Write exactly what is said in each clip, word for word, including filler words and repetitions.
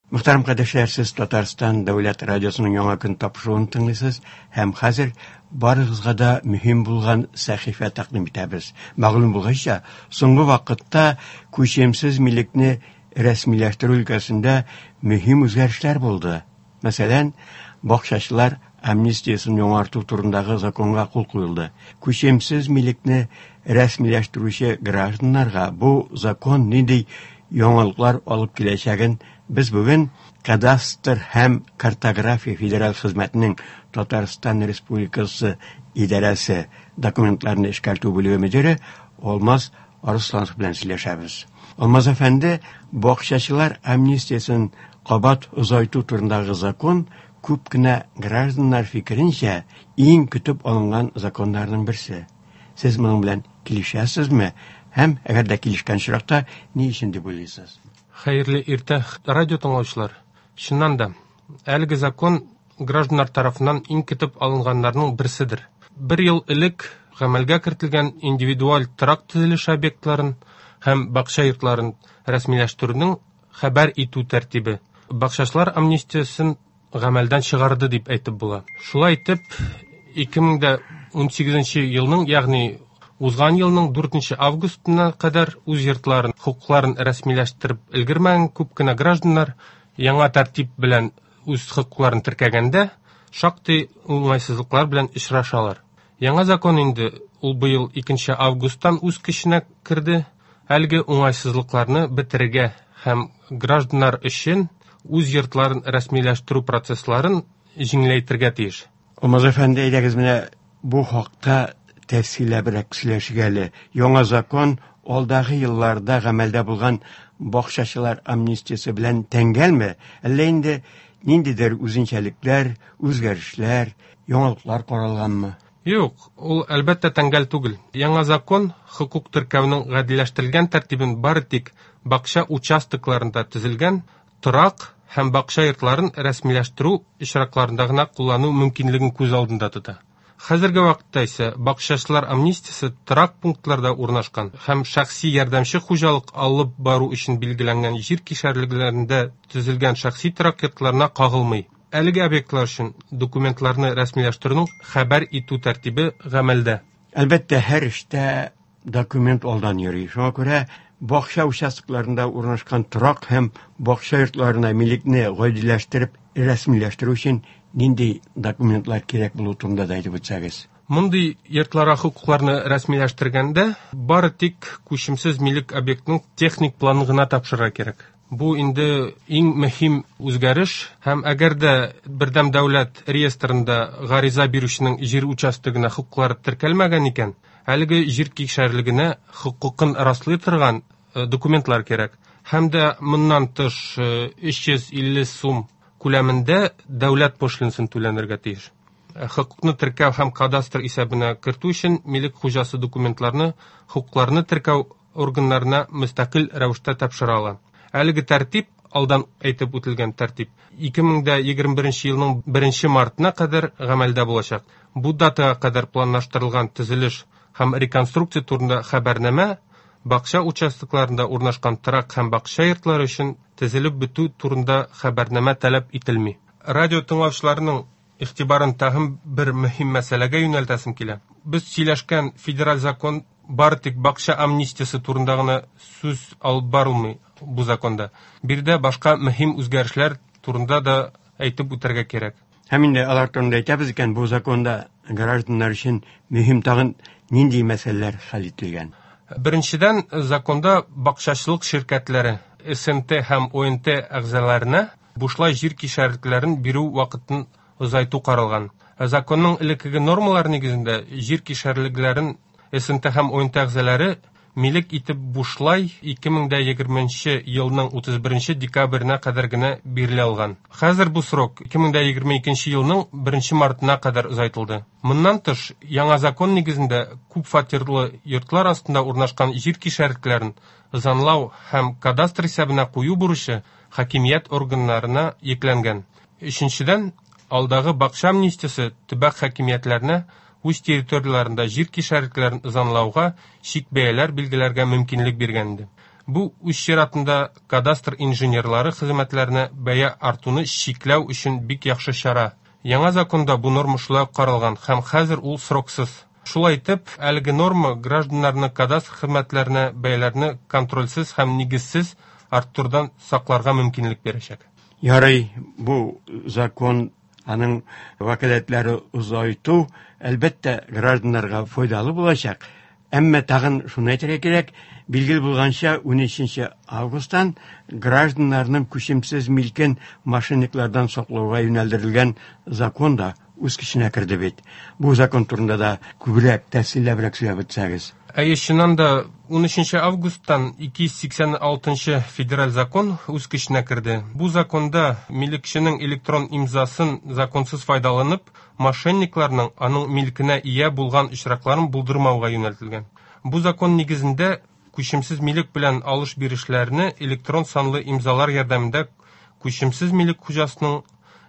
Мөхтәрәм кардәшләр, сез Татарстан дәүләт радиосының Яңа көн тапшыруын тыңлыйсыз һәм хәзер барыгызга да мөһим булган сәхифә тәкъдим итәбез. Мәгълүм булганча, соңгы вакытта күчемсез милекне рәсмиләштерү өлкәсендә мөһим үзгәрешләр булды. Мәсәлән, бакчачылар амнистиясен яңарту турындагы законга кул куелды. Күчемсез милекне рәсмиләштерүче гражданнарга бу закон нинди яңалыклар алып киләчәген без бүген Кадастр һәм картография федераль хезмәтенең Татарстан Республикасы идарәсе документларны эшкәртү бүлеге мөдире Алмаз Арысланов белән сөйләшәбез. Алмаз әфәнде, бакчачылар амнистиясен кабат озайту турындагы закон күп кенә гражданнар фикеренчә иң көтеп алынган законнарның берсе. Сез моның белән килешәсезме? Һәм әгәр дә килешкән очракта ни өчен дип уйлыйсыз? Хәерле иртә, радио тыңлаучылар. Чыннан да, әлеге закон гражданнар тарафыннан иң көтеп алынганнарның берседер. Бер ел элек гамәлгә кертелгән индивидуаль торак төзелеше объектларын һәм бакча йортларын рәсмиләштерүнең хәбәр итү тәртибе бакчачылар амнистиясен гамәлдән чыгарды дип әйтеп була. Шулай итеп, ике мең дә унсигезенче елның, ягъни узган елның дүртенче августына кадәр үз йортларын, хокукларын рәсмиләштереп өлгермәгән күп кенә гражданнар яңа тәртип белән үз хокукларын теркәгәндә шактый уңайсызлыклар белән очрашалар. Яңа закон инде ул быел икенче августтан үз көченә керде. Әлеге уңайсызлыкларны бетерергә һәм гражданнар өчен үз йортларын рәсмиләштерү процессларын җиңеләйтергә тиеш. Алмаз әфәнде, әйдәгез менә бу хакта тәфсилләбрәк сөйләшик әле. Яңа закон алдагы елларда гамәлдә булган бакчачылар амнистиясе белән тәңгәлме? Әллә инде ниндидер үзенчәлекләр, үзгәрешләр, яңалыклар каралганмы? Юк, ул әлбәттә тәңгәл түгел. Яңа закон хокук теркәүнең гадиләштерелгән тәртибен бары тик бакча участокларында төзелгән торак һәм бакча йортларын рәсмиләштерү очракларында гына куллану мөмкинлеген күз алдында тота. Хәзерге вакытта исә бакчачылар амнистиясе торак пунктларда урнашкан һәм шәхси ярдәмче хуҗалык алып бару өчен билгеләнгән җир кишәрлекләрендә төзелгән шәхси торак йортларына кагылмый. Әлеге объектлар өчен документларны рәсмиләштерүнең хәбәр итү тәртибе гамәлдә. Әлбәттә, һәр эштә документ алдан йөри. Шуңа күрә бакча участокларында урнашкан торак һәм бакча йортларына милекне гадиләштереп рәсмиләштерү өчен нинди документлар кирәк булу турында да әйтеп үтсәгез. Мондый йортларга хокукларны рәсмиләштергәндә бары тик күчемсез милек объектының техник планын гына тапшырырга кирәк. Бу инде иң мөһим үзгәреш, һәм әгәр дә бердәм дәүләт реестрында гариза бирүченең җир участогына хокуклары теркәлмәгән икән, әлеге җир кишәрлегенә хокукын раслый торган, э, документлар кирәк. Һәм дә моннан тыш, э, өч йөз илле сум күләмендә дәүләт пошлинасын түләнергә тиеш. Э, хокукны теркәү һәм кадастр исәбенә кертү өчен милек хуҗасы документларны хокукларны теркәү органнарына мөстәкыйль рәвештә тапшыра ала. Әлеге тәртип, алдан әйтеп үтелгән тәртип, ике мең дә егерме беренче елның беренче мартына кадәр гамәлдә булачак. Бу датага кадәр планлаштырылган төзелеш һәм реконструкция турында хәбәрнамә бакча участокларында урнашкан торак һәм бакча йортлары өчен төзелеп бетү турында хәбәрнамә таләп ителми. Радио тыңлаучыларының игътибарын тагын бер мөһим мәсьәләгә юнәлтәсем килә. Без сөйләшкән федераль закон бары тик бакча амнистиясе турында гына сүз алып барылмый бу законда. Биредә башка мөһим үзгәрешләр турында да әйтеп үтәргә кирәк. Һәм инде алар турында әйтәбез икән, бу законда гражданнар өчен мөһим тагын нинди мәсьәләләр хәл ителгән? Беренчедән, законда бакчачылык ширкәтләре эс эн тэ һәм о эн тэ әгъзаларына бушлай җир кишәрлекләрен бирү вакытын озайту каралган. Законның элеккеге нормалары нигезендә җир кишәрлекләрен эс эн тэ һәм о эн тэ әгъзалары милек итеп бушлай ике мең дә егерменче елның утыз беренче декабренә кадәр генә бирелә алган. Хәзер бу срок ике мең дә егерме икенче елның беренче мартына кадәр озайтылды. Моннан тыш, яңа закон нигезендә күп фатирлы йортлар астында урнашкан җир кишәрлекләрен ызанлау һәм кадастр исәбенә кую бурычы хакимият органнарына йөкләнгән. Өченчедән, алдагы бакча амнистиясе төбәк хакимиятләренә үз территорияләрендә җир кишәрлекләрен ызанлауга чик бәяләр билгеләргә мөмкинлек биргән иде. Бу үз чиратында кадастр инженерлары хезмәтләренә бәя артуны чикләү өчен бик яхшы чара. Яңа законда бу норма шулай ук каралган һәм хәзер ул сроксыз. Шулай итеп, әлеге норма гражданнарны кадастр хезмәтләренә бәяләрне контрольсез һәм нигезсез арттырудан сакларга мөмкинлек бирәчәк. Ярый, бу закон аның вәкаләтләре озайту, әлбәттә, гражданнарга файдалы булачак. Әмма тагын шуны әйтергә кирәк, билгеле булганча, унөченче августтан гражданнарның күчемсез милкен мошенниклардан саклауга юнәлдерелгән закон да үз көченә керде бит. Бу закон турында да күбрәк, тәфсилләбрәк сөйләп үтсәгез. Әйе, чыннан да унөченче августтан ике йөз сиксән алтынчы федераль закон үз көченә керде. Бу законда милекченең электрон имзасын законсыз файдаланып, мошенникларның аның милкенә ия булган очракларын булдырмауга юнәлтелгән. Бу закон нигезендә күчемсез милек белән алыш-бирешләрне электрон санлы имзалар ярдәмендә күчемсез милек хуҗасының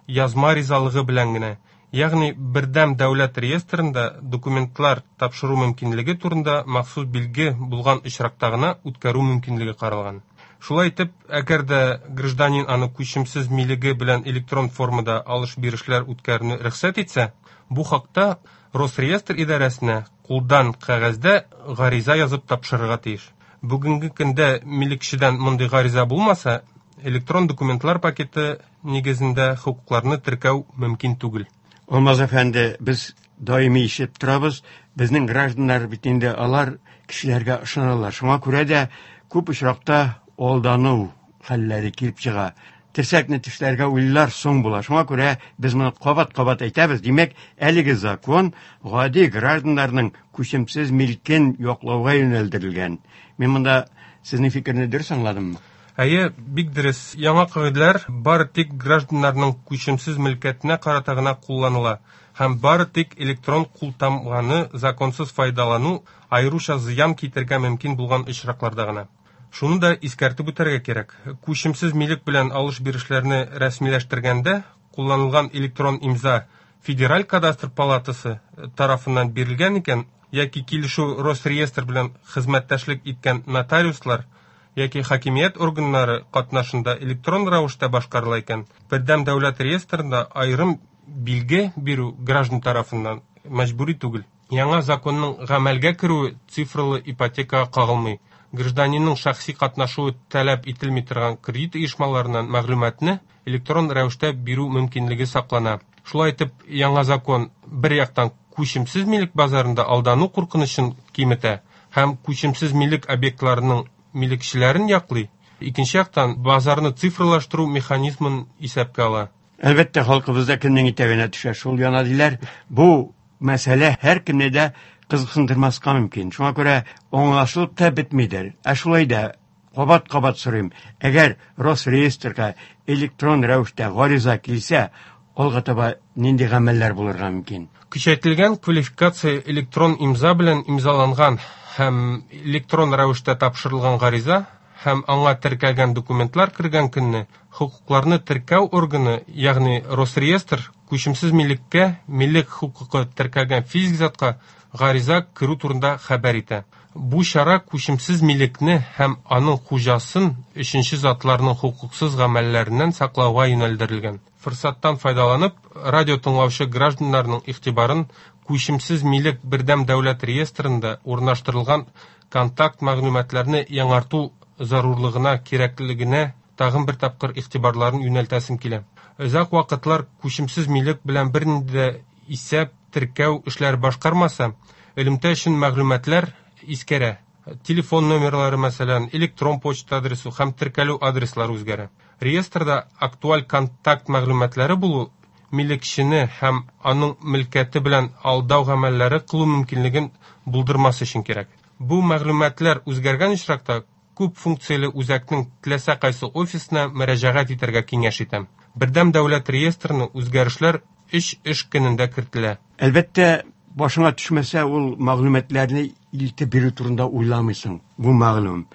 язма ризалыгы белән генә, ягъни бердәм дәүләт реестрында документлар тапшыру мөмкинлеге турында махсус билге булган очракта гына үткәрү мөмкинлеге каралган. Шулай итеп, әгәр дә гражданин аны күчемсез милеге белән электрон формада алыш-бирешләр үткәрүне рөхсәт итсә, бу хакта Росреестр идарәсенә кулдан кәгазьдә гариза язып тапшырырга тиеш. Бүгенге көндә милекчедән мондый гариза булмаса, электрон документлар пакеты нигезендә хокукларны теркәү мөмкин түгел. Алмаз әфәнде, без даими ишетеп торабыз, безнең гражданнар бит инде алар кешеләргә ышаналар. Шуңа күрә дә күп очракта алдану хәлләре килеп чыга. Терсәкне тешләргә уйлар соң була. Шуңа күрә без моны кабат-кабат әйтәбез. Димәк, әлеге закон гади гражданнарның күчемсез милкен яклауга юнәлдерелгән. Мин монда сезнең фикерне дөрес аңладыммы? Әйе, бик дөрес. Яңа кагыйдәләр бары тик гражданнарның күчемсез мөлкәтенә карата гына кулланыла һәм бары тик электрон култамганы законсыз файдалану аеруча зыян китергә мөмкин булган очракларда гына. Шуны да искәртеп үтәргә кирәк. Күчемсез милек белән алыш-бирешләрне рәсмиләштергәндә кулланылган электрон имза Федераль кадастр палатасы тарафыннан бирелгән икән, яки килешү Росреестр белән хезмәттәшлек иткән нотариуслар яки хакимият органнары катнашында электрон рәвештә башкарыла икән, бердәм дәүләт реестрында аерым билге бирү граждан тарафыннан мәҗбүри түгел. Яңа законның гамәлгә керүе цифрлы ипотекага кагылмый. Гражданинның шәхси катнашуы таләп ителми торган кредит оешмаларыннан мәгълүматны электрон рәвештә бирү мөмкинлеге саклана. Шулай итеп, яңа закон бер яктан күчемсез милек базарында алдану куркынычын киметә һәм күчемсез милек объектларының милекчеләрен яклый, икенче яктан базарны цифрлаштыру механизмын исәпкә ала. Әлбәттә, халкыбызда кемнең итәгенә төшә, шул яна диләр. Бу мәсьәлә һәркемне дә кызыксындырмаска мөмкин. Шуңа күрә аңлашылып та бетмидер. Ә шулай да кабат-кабат сорыйм. Әгәр Росреестрга электрон рәвештә гариза килсә, алга таба нинди гамәлләр булырга мөмкин? Көчәйтелгән квалификация электрон имза белән имзаланган һәм электрон рәвештә тапшырылган гариза һәм аңа теркәлгән документлар кергән көнне хокукларны теркәү органы, ягъни Росреестр, күчемсез милеккә милек хокукы теркәлгән физик затка гариза керү турында хәбәр итә. Бу чара күчемсез милекне һәм аның хуҗасын өченче затларның хокуксыз гамәлләреннән саклауга юнәлдерелгән. Форсаттан файдаланып, радио тыңлаучы гражданнарның игътибарын күчемсез милек бердәм дәүләт реестрында урнаштырылган контакт мәгълүматларны яңарту зарурлыгына, кирәклегенә тагын бер тапкыр игътибарларын юнәлтәсем килә. Озак вакытлар күчемсез милек белән бернинди дә исәп, теркәү эшләре башкармаса, элемтә өчен мәгълүматлар искәрә. Телефон номерлары, мәсәлән, электрон почта адресы һәм теркәлү адреслары үзгәрә. Реестрда актуаль контакт мәгълүматлары булу милекчене һәм аның мөлкәте белән алдау гамәлләре кылу мөмкинлеген булдырмас өчен кирәк. Бу мәгълүматлар үзгәргән очракта күп функцияле үзәкнең теләсә кайсы офисына мөрәҗәгать итәргә киңәш итәм. Бердәм дәүләт реестрына үзгәрешләр өч эш көнендә кертелә. Әлбәттә, башыңа төшмәсә, ул мәгълүматларны илтеп бирү турында уйламыйсың. Бу мәгълүм.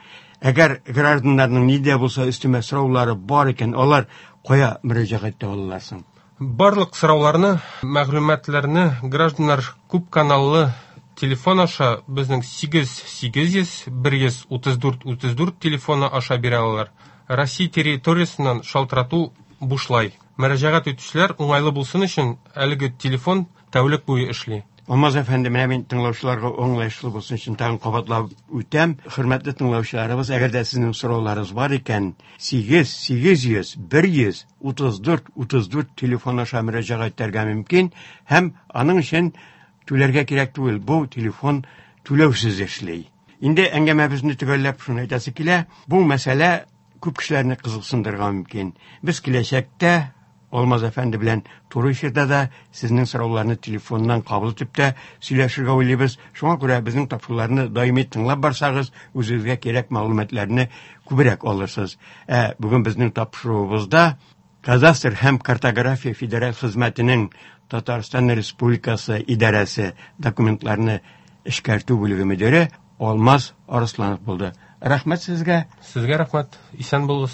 Әгәр гражданнарның ни дә булса өстәмә сораулары бар икән, алар кая мөрәҗәгать итә алалар соң? Барлык сорауларны, мәгълүматларны гражданнар күп каналлы телефон аша безнең сигез сигез йөз бер йөз утыз дүрт утыз дүрт телефоны аша бирә алалар. Россия территориясеннән шалтырату бушлай. Мөрәҗәгать итүчеләр уңайлы булсын өчен әлеге телефон тәүлек буе эшли. Алмаз әфәнде, менә мин тыңлаучыларга аңлаешлы булсын өчен тагын кабатлап үтәм. Хөрмәтле тыңлаучыларыбыз, әгәр дә сезнең сорауларыгыз бар икән, сигез сигез йөз бер йөз утыз дүрт утыз дүрт телефон аша мөрәҗәгать итәргә мөмкин һәм аның өчен түләргә кирәк түгел. Бу телефон түләүсез эшли. Инде әңгәмәбезне төгәлләп шуны әйтәсе килә. Бу мәсьәлә күп кешеләрне кызыксындырырга мөмкин. Без киләчәктә Алмаз әфәнде белән туры эфирда да сезнең сорауларны телефоннан кабул итеп тә сөйләшергә уйлыйбыз. Шуңа күрә безнең тапшыруларны даими тыңлап барсагыз, үзегезгә кирәк мәгълүматларны күбрәк алырсыз. Ә бүген безнең тапшыруыбызда Кадастр һәм картография федераль хезмәтенең Татарстан Республикасы идарәсе документларны эшкәртү бүлеге мөдире Алмаз Арысланов булды. Рәхмәт сезгә. Сезгә рәхмәт. Исән булыгыз.